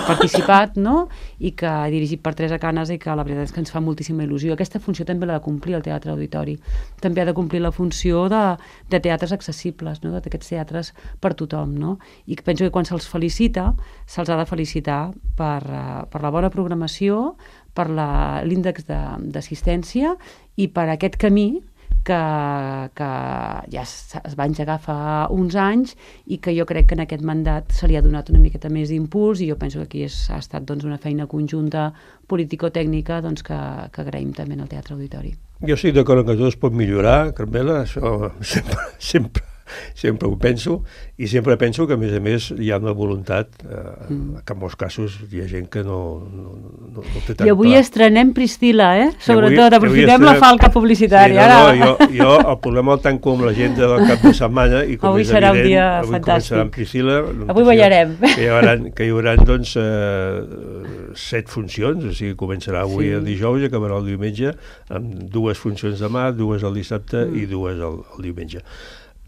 participat, no? I que ha dirigit per Teresa Canes, i que la veritat és que ens fa moltíssima il·lusió. Aquesta funció també l'ha de complir el Teatre Auditori. També ha de complir la funció de teatres accessibles, no? D'aquests teatres per tothom, no? I penso que quan se'ls felicita, se'ls ha de felicitar per la bona programació, per l'índex d'assistència i per aquest camí que ja es va engegar fa uns anys, i que jo crec que en aquest mandat se li ha donat una miqueta més d'impuls, i jo penso que aquí ha estat una feina conjunta político-tècnica que agraïm també al Teatre Auditori. Jo estic d'acord que tot es pot millorar, Carmela, això sempre sempre ho penso, i sempre penso que, a més, hi ha una voluntat, que en molts casos hi ha gent que no té tan I avui clar. estrenem Priscila, sobretot, avui aprofitem la falca publicitària. Jo el problema el tanco amb l'agenda del cap de setmana, i com Avui és serà un evident, dia avui fantàstic. començarà amb Priscila. Avui ballarem. Que hi haurà, doncs, 7 funcions, o sigui, començarà avui el dijous i acabarà el diumenge, amb 2 funcions demà, 2 el dissabte i 2 el diumenge.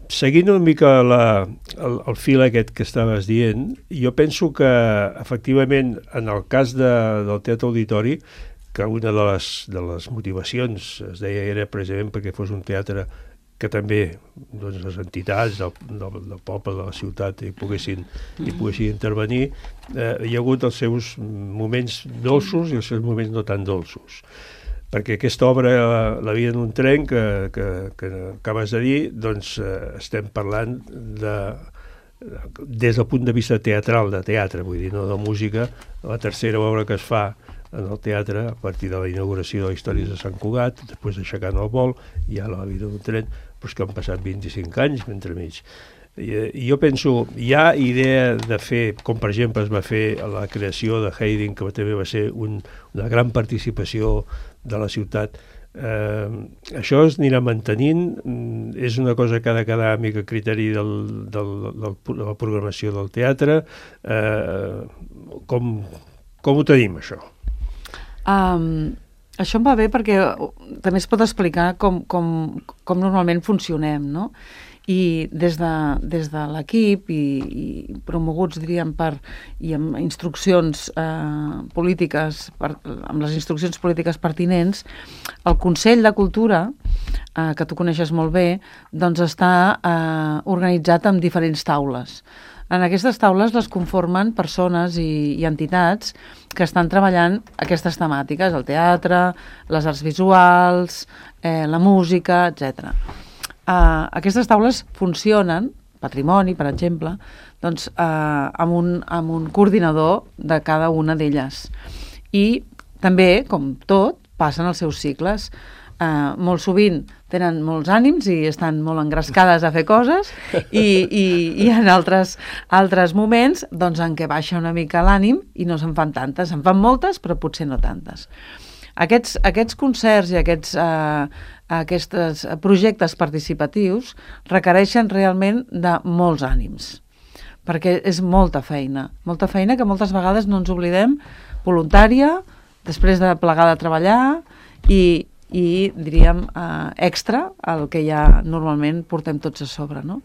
Seguint una mica el fil aquest que estaves dient, jo penso que, efectivament, en el cas del Teatre Auditori, que una de les motivacions, es deia, era precisament perquè fos un teatre que també, doncs, les entitats del poble, de la ciutat, hi poguessin intervenir, hi ha hagut els seus moments dolços i els seus moments no tan dolços. Perquè aquesta obra, La vida en un tren, que acabes de dir, doncs estem parlant des del punt de vista teatral, de teatre, vull dir, no de música, la tercera obra que es fa en el teatre, a partir de la inauguració de Històries de Sant Cugat, després d'aixecant el vol, hi ha La vida d'un tren, però que han passat 25 anys entremig. I jo penso, hi ha idea de fer, com per exemple es va fer la creació de Haydn, que també va ser una gran participació de la ciutat. Això es anirà mantenint, és una cosa que ha de quedar a mica criteri de la programació del teatre. Com ho tenim, això? Això em va bé perquè també es pot explicar com normalment funcionem, no? I des de l'equip i promoguts, diríem, i amb instruccions polítiques, amb les instruccions polítiques pertinents, el Consell de Cultura, que tu coneixes molt bé, doncs està organitzat en diferents taules. En aquestes taules les conformen persones i entitats que estan treballant aquestes temàtiques, el teatre, les arts visuals, la música, etc. Aquestes taules funcionen, patrimoni, per exemple, doncs, amb un coordinador de cada una d'elles. I també, com tot, passen els seus cicles. Molt sovint tenen molts ànims i estan molt engrescades a fer coses i hi ha altres moments doncs, en què baixa una mica l'ànim i no se'n fan tantes, se'n fan moltes però potser no tantes. Aquests concerts i aquests projectes participatius requereixen realment de molts ànims, perquè és molta feina que moltes vegades no ens oblidem, voluntària, després de plegar de treballar i diríem, extra el que ja normalment portem tots a sobre, no?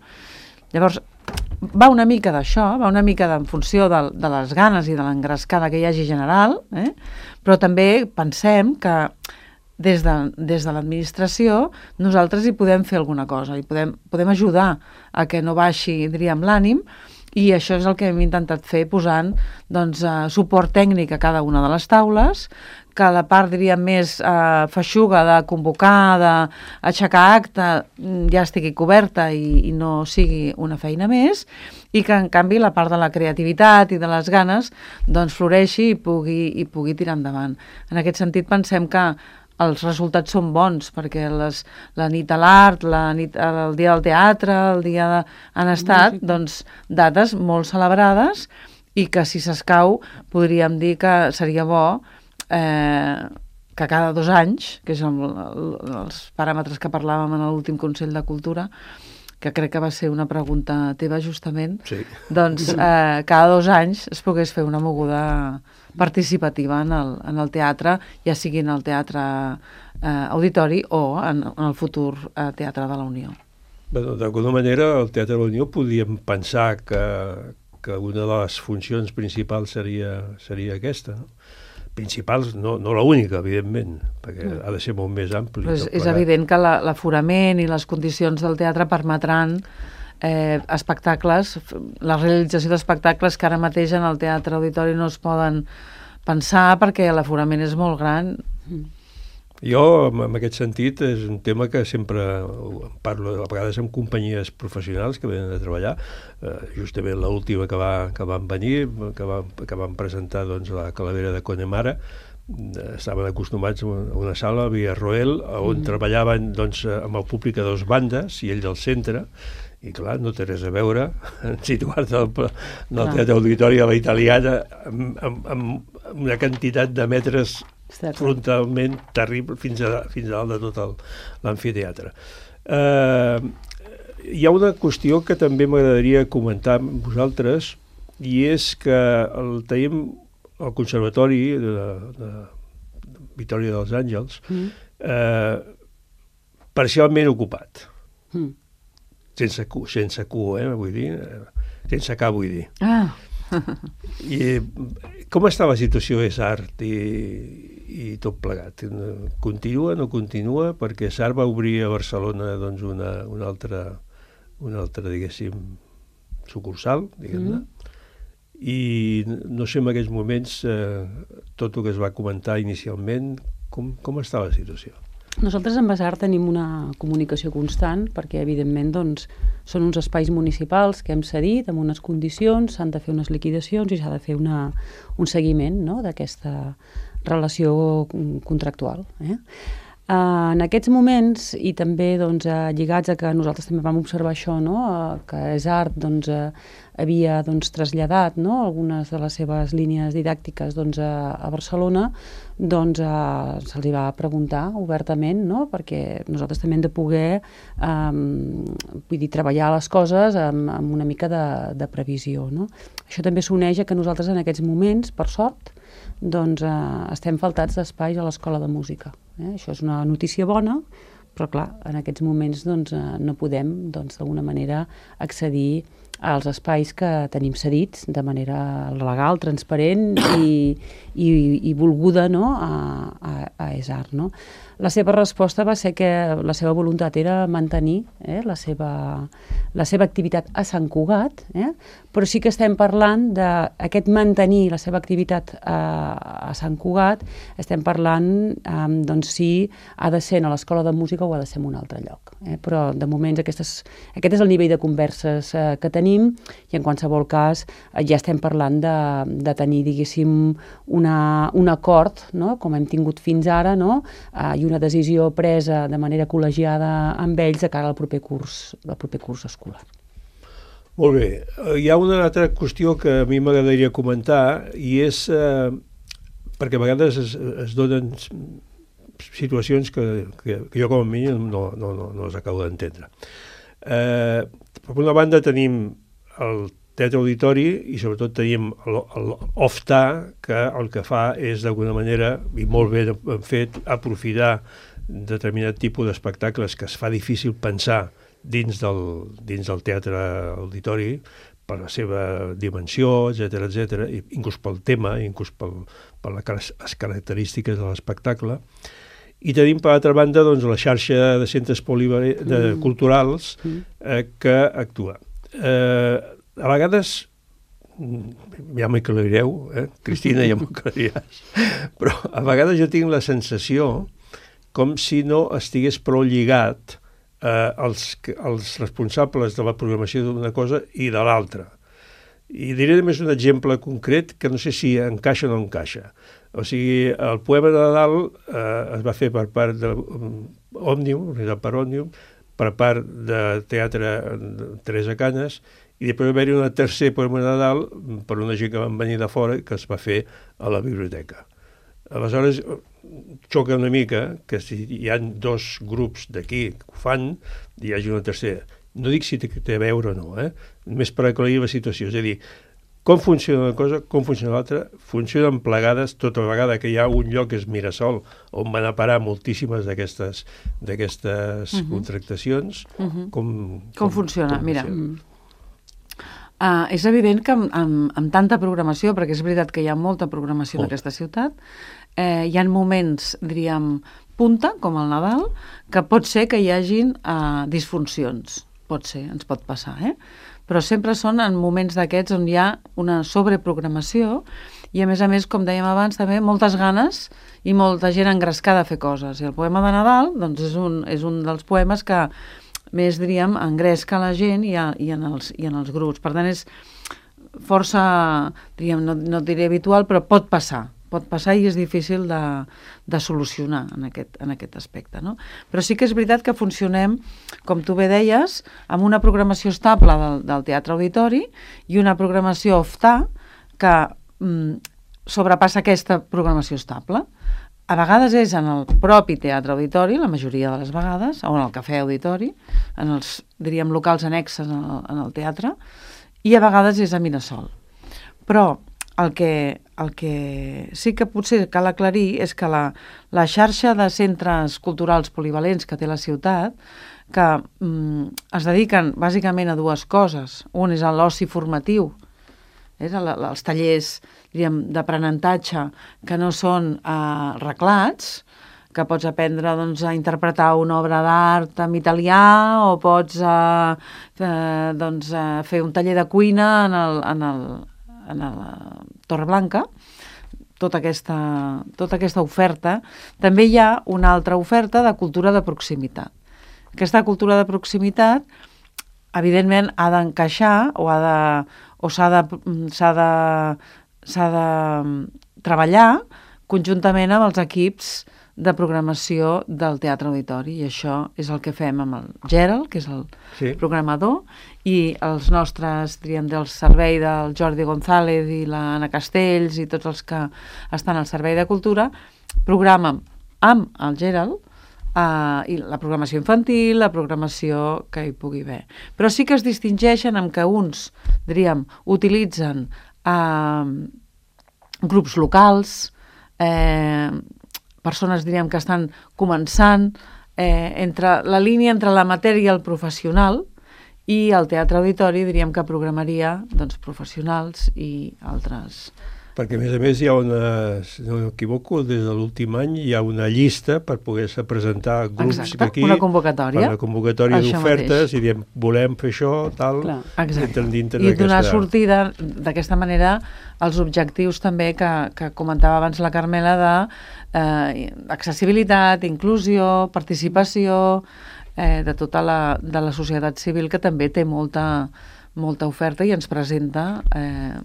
Llavors, va una mica d'això, va una mica en funció de les ganes i de l'engrescada que hi hagi general, però també pensem que des de l'administració nosaltres hi podem fer alguna cosa, i podem ajudar a que no baixi, diríem, l'ànim, i això és el que hem intentat fer posant doncs, suport tècnic a cada una de les taules, que la part, diríem, més feixuga de convocar, d'aixecar acte, ja estigui coberta i no sigui una feina més, i que, en canvi, la part de la creativitat i de les ganes doncs, floreixi i pugui tirar endavant. En aquest sentit, pensem que els resultats són bons, perquè la nit a l'art, el dia del teatre, el dia han estat doncs, dates molt celebrades i que, si s'escau, podríem dir que seria bo que cada 2 anys, que és els paràmetres que parlàvem en l'últim Consell de Cultura, que crec que va ser una pregunta teva justament, sí. Doncs cada 2 anys es pogués fer una moguda participativa en el teatre, ja sigui en el teatre auditori o en el futur teatre de la Unió. D'alguna manera, el Teatre de la Unió podíem pensar que una de les funcions principals seria aquesta, no? Principals, no l'única, evidentment, perquè ha de ser molt més ampli. És evident que l'aforament i les condicions del teatre permetran espectacles, la realització d'espectacles que ara mateix en el teatre auditori no es poden pensar perquè l'aforament és molt gran. Jo, en aquest sentit, és un tema que sempre parlo, a vegades amb companyies professionals que venen a treballar, justament l'última que van venir, que van presentar doncs, la Calavera de Connemara, estaven acostumats a una sala, a Villarroel, on treballaven doncs, amb el públic a 2 bandes i ells al centre, I clar, no té res a veure situar-te al teatre auditori a la italiana amb una quantitat de metres frontalment terrible fins a dalt de tot l'amfiteatre. Hi ha una qüestió que també m'agradaria comentar amb vosaltres, i és que tenim el Conservatori de Vitòria dels Àngels parcialment ocupat. Sense Q, vull dir, sense K, vull dir. I com està la situació d'Esart i tot plegat? Continua, no continua? Perquè Esart va obrir a Barcelona doncs, una altra, diguéssim, sucursal, diguem-ne, i no sé en aquests moments tot el que es va comentar inicialment, com està la situació? Nosaltres amb Esart tenim una comunicació constant perquè, evidentment, doncs, són uns espais municipals que hem cedit amb unes condicions, s'han de fer unes liquidacions i s'ha de fer un seguiment, no?, d'aquesta relació contractual. En aquests moments, i també doncs, lligats a que nosaltres també vam observar això, no?, que Esart doncs, havia doncs, traslladat, no?, algunes de les seves línies didàctiques doncs, a Barcelona, doncs se'ls va preguntar obertament, no?, perquè nosaltres també hem de poder treballar les coses amb una mica de previsió. No? Això també s'uneix a que nosaltres en aquests moments, per sort, doncs, estem faltats d'espais a l'Escola de Música. Això és una notícia bona, però clar, en aquests moments doncs, no podem d'alguna manera accedir als espais que tenim cedits de manera legal, transparent i volguda, no?, a Esart. No? La seva resposta va ser que la seva voluntat era mantenir la seva activitat a Sant Cugat, però sí que estem parlant d'aquest mantenir la seva activitat a Sant Cugat, estem parlant doncs, si ha de ser a l'Escola de Música o ha de ser en un altre lloc. Però de moment aquest és el nivell de converses que tenim i en qualsevol cas ja estem parlant de tenir, diguéssim, un acord, no?, com hem tingut fins ara, no?, i una decisió presa de manera col·legiada amb ells de cara al proper curs escolar. Molt bé. Hi ha una altra qüestió que a mi m'agradaria comentar i és perquè a vegades es donen situacions que jo com a mínim no les acabo d'entendre. Per una banda tenim el teatre auditori i sobretot tenim l'OFTA, que el que fa és d'alguna manera, i molt bé fet, aprofitar determinat tipus d'espectacles que es fa difícil pensar dins del teatre auditori per la seva dimensió, etc., inclús pel tema, inclús per les característiques de l'espectacle. I tenim, per altra banda, doncs, la xarxa de centres culturals que actua. A vegades, ja m'aclarireu, Cristina, ja m'aclariràs, però a vegades jo tinc la sensació com si no estigués prou lligat els responsables de la programació d'una cosa i de l'altra. I diré només un exemple concret que no sé si encaixa o no encaixa. O sigui, el poema de Nadal es va fer per part d'Òmnium, per Òmnium, per part de Teatre Teresa Canes, i després va haver-hi un tercer poema de Nadal per una gent que van venir de fora que es va fer a la biblioteca. Aleshores, xoca una mica que si hi ha dos grups d'aquí que ho fan, hi hagi una tercera. No dic si té a veure o no, només per aclarir la situació. És a dir, com funciona una cosa, com funciona l'altra, funcionen plegades tota vegada que hi ha un lloc que és Mirasol, on van a parar moltíssimes d'aquestes contractacions. Com funciona? Mira, és evident que amb tanta programació, perquè és veritat que hi ha molta programació en aquesta ciutat, hi ha moments, diríem, punta, com el Nadal, que pot ser que hi hagin disfuncions. Pot ser, ens pot passar, però sempre són en moments d'aquests on hi ha una sobreprogramació i, a més, com dèiem abans, també moltes ganes i molta gent engrescada a fer coses. I el poema de Nadal doncs, és un dels poemes que més, diríem, engresca la gent i en els grups. Per tant, és força, diríem, no diré habitual, però pot passar pot passar i és difícil de solucionar en aquest aspecte, no? Però sí que és veritat que funcionem, com tu bé deies, amb una programació estable del Teatre Auditori i una programació off-ta que sobrepassa aquesta programació estable. A vegades és en el propi Teatre Auditori, la majoria de les vegades, o en el Cafè Auditori, en els, diríem, locals annexes en el teatre, i a vegades és a Mirasol. Però el que sí que potser cal aclarir és que la xarxa de centres culturals polivalents que té la ciutat, que es dediquen bàsicament a dues coses. Un és l'oci formatiu, els tallers, diríem, d'aprenentatge que no són reglats, que pots aprendre doncs, a interpretar una obra d'art en italià o pots fer un taller de cuina en la Torreblanca, tota aquesta oferta. També hi ha una altra oferta de cultura de proximitat. Aquesta cultura de proximitat, evidentment, ha d'encaixar o s'ha de treballar conjuntament amb els equips de programació del Teatre Auditori, i això és el que fem amb el Gerald, que és el programador, i els nostres, diríem, del servei del Jordi González i l'Anna Castells i tots els que estan al servei de cultura, programen amb el Gerald i la programació infantil, la programació que hi pugui haver. Però sí que es distingeixen amb que uns, diríem, utilitzen grups locals, persones, diríem, que estan començant la línia entre l'amateur i el professional, i el Teatre Auditori, diríem, que programaria professionals i altres. Perquè, a més, hi ha si no m'equivoco, des de l'últim any hi ha una llista per poder-se presentar grups aquí. Una convocatòria. Una convocatòria d'ofertes, i diem, volem fer això, tal, i donar sortida d'aquesta manera als objectius també que comentava abans la Carmela d'accessibilitat, inclusió, participació, de tota la societat civil, que també té molta oferta i ens presenta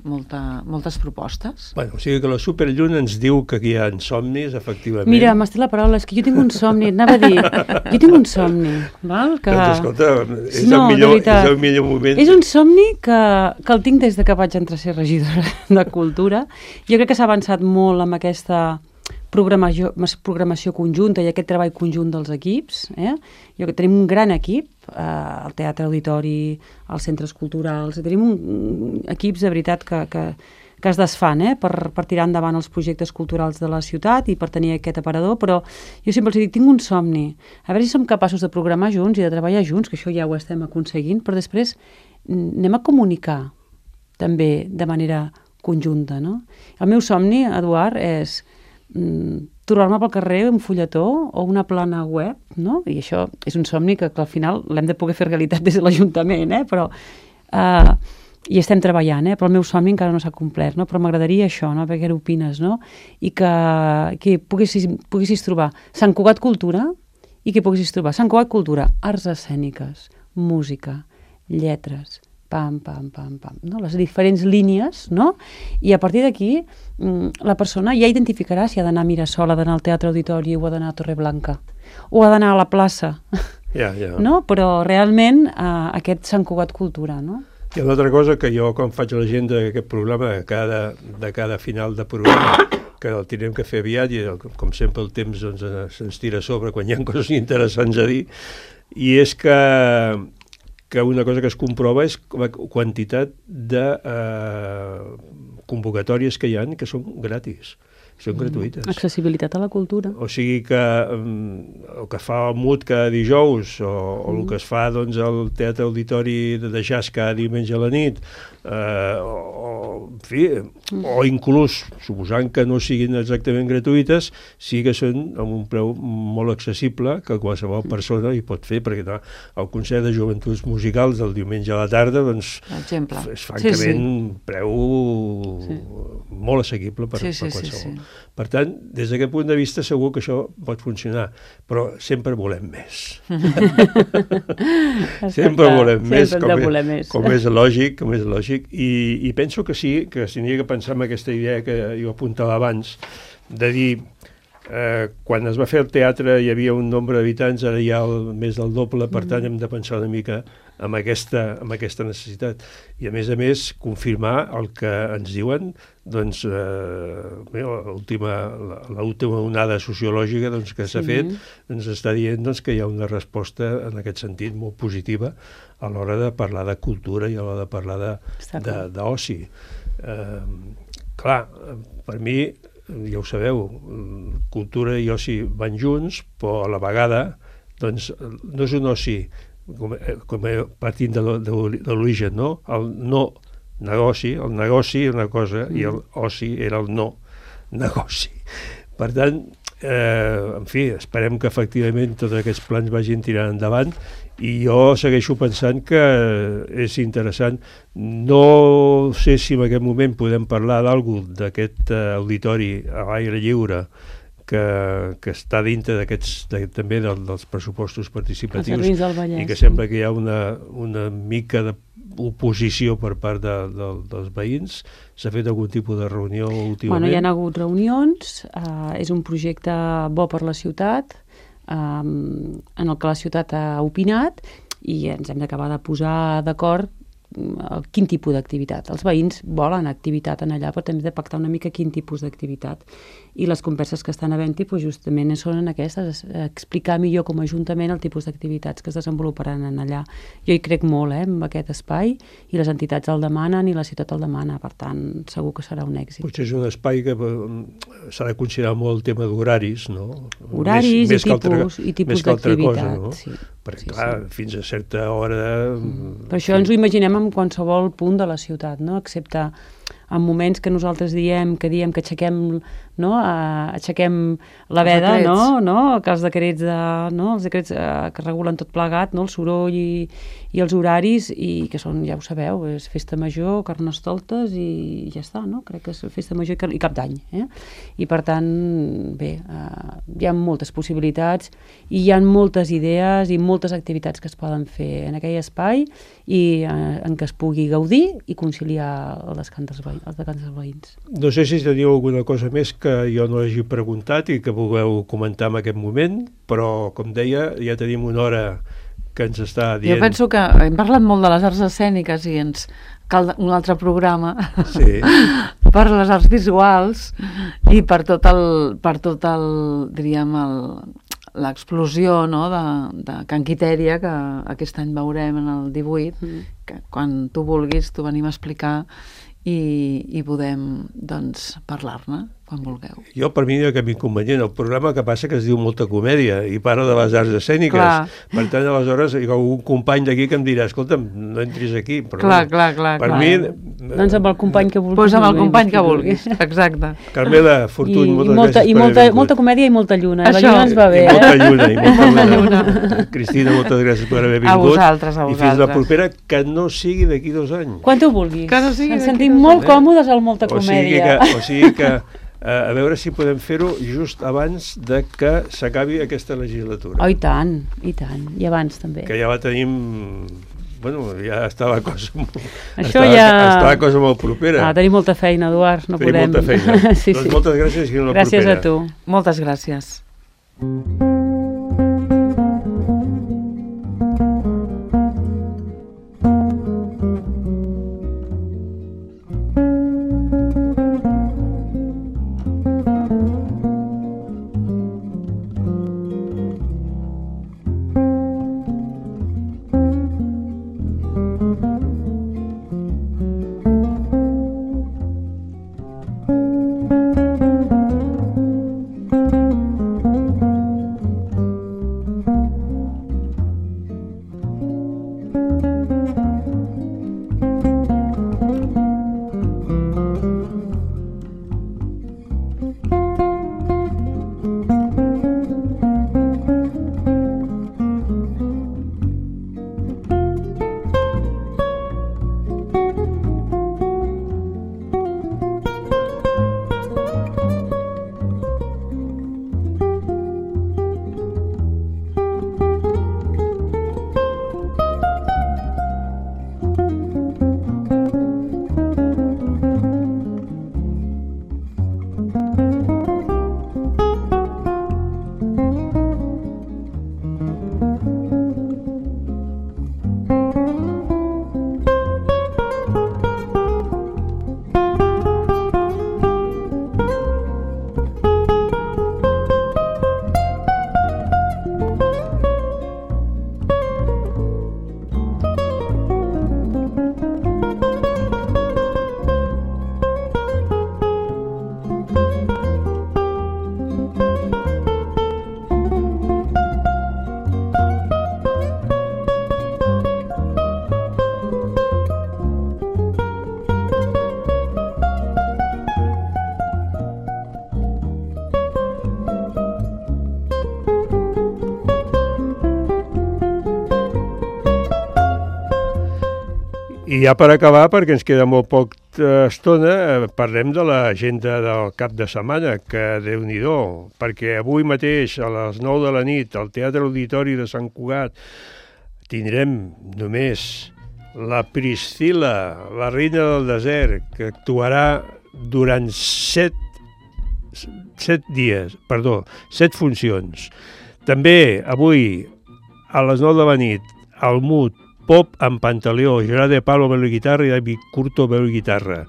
moltes propostes. O sigui que la Superlluna ens diu que aquí hi ha somnis, efectivament. Mira, m'estic la paraula, és que jo tinc un somni, anava a dir, jo tinc un somni, val? Doncs escolta, és el millor moment. És un somni que el tinc des de que vaig entrar a ser regidora de Cultura. Jo crec que s'ha avançat molt amb aquesta programació conjunta i aquest treball conjunt dels equips. Jo que tenim un gran equip, al Teatre Auditori, als centres culturals, tenim equips de veritat que es desfan per tirar endavant els projectes culturals de la ciutat i per tenir aquest aparador, però jo sempre els dic, tinc un somni, a veure si som capaços de programar junts i de treballar junts, que això ja ho estem aconseguint, però després anem a comunicar també de manera conjunta, no? El meu somni, Eduard, és trobar-me pel carrer un fulletó o una plana web, no? I això és un somni que al final l'hem de poder fer realitat des de l'Ajuntament, però hi estem treballant, però el meu somni encara no s'ha complert, no? Però m'agradaria això, no? Perquè què opines, no? I que poguessis trobar Sant Cugat Cultura i que poguessis trobar Sant Cugat Cultura, arts escèniques, música, lletres, pam, no? Les diferents línies, no? I a partir d'aquí la persona ja identificarà si ha d'anar a Mirasol, ha d'anar al Teatre Auditori o ha d'anar a Torreblanca o ha d'anar a la plaça, no? Però realment aquest Sant Cugat Cultura, no? Hi ha una altra cosa que jo, quan faig l'agenda d'aquest programa, de cada final de programa, que el tindrem que fer aviat i, com sempre, el temps se'ns tira a sobre quan hi ha coses interessants a dir, i és que una cosa que es comprova és la quantitat de convocatòries que hi ha que són gratis, són gratuïtes. Accessibilitat a la cultura. O sigui que el que fa el MUT cada dijous o el que es fa al Teatre Auditori de jazz cada diumenge a la nit, o inclús, suposant que no siguin exactament gratuïtes, sí que són amb un preu molt accessible que qualsevol persona hi pot fer, perquè el concert de joventuts musicals del diumenge a la tarda és francament un preu molt assequible per qualsevol. Per tant, des d'aquest punt de vista segur que això pot funcionar, però sempre volem més. Sempre volem més, com és lògic, i penso que sí així que s'hauria que pensar en aquesta idea que jo apuntava abans, de dir, quan es va fer el teatre hi havia un nombre d'habitants, ara hi ha més del doble, per tant hem de pensar una mica amb aquesta necessitat. I a més confirmar el que ens diuen, doncs, l'última onada sociològica que s'ha fet, ens està dient que hi ha una resposta en aquest sentit molt positiva a l'hora de parlar de cultura i a l'hora de parlar d'oci. Clar, per mi, ja ho sabeu, cultura i oci van junts, però a la vegada doncs, no és un oci partint de l'origen, no? El no negoci, el negoci era una cosa i el oci era el no negoci. Per tant, en fi, esperem que efectivament tots aquests plans vagin tirant endavant i jo segueixo pensant que és interessant. No sé si en aquest moment podem parlar d'aquest auditori a l'aire lliure que està dintre també dels pressupostos participatius i que sembla que hi ha una mica d'oposició per part dels veïns. S'ha fet algun tipus de reunió últimament? Bueno, hi ha hagut reunions, és un projecte bo per la ciutat, en el que la ciutat ha opinat i ens hem d'acabar de posar d'acord quin tipus d'activitat. Els veïns volen activitat en allà, però també hem de pactar una mica quin tipus d'activitat. I les converses que estan havent-hi justament són en aquestes, explicar millor com a ajuntament el tipus d'activitats que es desenvoluparan en allà. Jo hi crec molt en aquest espai i les entitats el demanen i la ciutat el demana, per tant segur que serà un èxit. Potser és un espai que s'ha de considerar molt el tema d'horaris, no? Horaris i tipus d'activitat, no? Sí. Perquè, clar, fins a certa hora... Per això ens ho imaginem en qualsevol punt de la ciutat, no? Excepte en moments que nosaltres diem que aixequem, no? Aixequem la veda, no? Que els decrets, que regulen tot plegat, no? El soroll i els horaris, i que són, ja ho sabeu, és festa major, carnestoltes i ja està, no? Crec que és festa major i cap d'any. I per tant, bé, hi ha moltes possibilitats i hi ha moltes idees i moltes activitats que es poden fer en aquell espai i en què es pugui gaudir i conciliar el descans dels veïns. No sé si teniu alguna cosa més que jo no hagi preguntat i que vulgueu comentar en aquest moment, però, com deia, ja tenim una hora que ens està dient... Jo penso que hem parlat molt de les arts escèniques i ens cal un altre programa per les arts visuals i per tot el diríem, l'explosió, no, de Can Quitèria, que aquest any veurem en el 18, que quan tu vulguis t'ho venim a explicar i podem, doncs, parlar-ne quan vulgueu. Jo, per mi, no hi ha cap inconvenient. El programa que passa que es diu Molta Comèdia i parla de les arts escèniques. Clar. Per tant, aleshores, hi ha algun company d'aquí que em dirà, escolta'm, no entris aquí. Però, clar. Per mi... Doncs amb el company que vulguis. Doncs amb el company que vulguis, exacte. Carmela Fortuny, moltes gràcies per haver vingut. Molta comèdia i molta lluna. Això. La lluna ens va bé, I molta lluna. Cristina, moltes gràcies per haver vingut. A vosaltres. I fins la propera, que no sigui d'aquí 2 anys. Quan tu vulguis. Que no sigui ens sentim molt còmodes al Molta Comèdia. O sigui que a veure si podem fer-ho just abans de que s'acabi aquesta legislatura. Oh, i tant, i abans també. Que ja la tenim... Bueno, ja està la cosa molt... Això està la cosa molt propera. Tenim molta feina, Eduard, no podem... Tenim molta feina. Sí. Doncs moltes gràcies i fins la propera. Gràcies a tu. Moltes gràcies. I ja per acabar, perquè ens queda molt poc estona, parlem de l'agenda del cap de setmana, que Déu-n'hi-do, perquè avui mateix a les 9 de la nit al Teatre Auditori de Sant Cugat tindrem només la Priscila, la reina del desert, que actuarà durant 7 funcions. També avui a les 9 de la nit al MUT, Pop amb Pantaleó, Gerard de Palo veu la guitarra i David Curto veu la guitarra.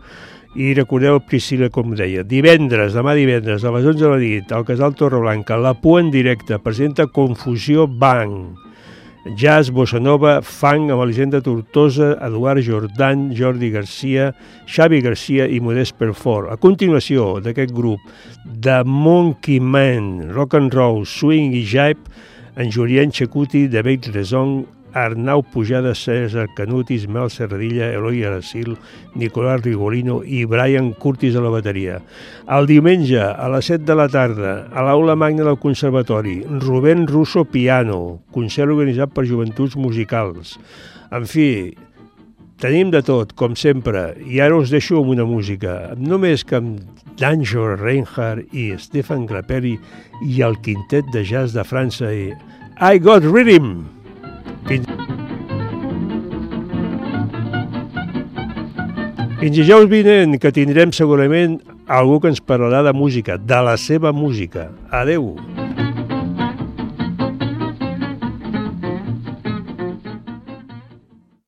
I recordeu Priscila, com deia. Demà divendres, a les 11 de la nit, al Casal Torreblanca, La Pua en directe, presenta Confusió Bang. Jazz, bossa nova, funk amb Elisenda Tortosa, Eduard Jordan, Jordi Garcia, Xavi Garcia i Modest Perfort. A continuació d'aquest grup, The Monkey Man, rock and roll, swing i jive, en Julien Checuti, David Rezon, Arnau Pujada, César Canut, Ismael Serradilla, Eloi Aracil, Nicolás Rigolino i Brian Curtis a la bateria. El diumenge, a les 7 de la tarda, a l'Aula Magna del Conservatori, Rubén Russo Piano, concert organitzat per Joventuts Musicals. En fi, tenim de tot, com sempre, i ara us deixo amb una música, només que amb Django Reinhardt i Stefan Grappelli i el quintet de jazz de França i I Got Rhythm! Fins dijous vinent, que tindrem segurament algú que ens parlarà de música, de la seva música. Adeu!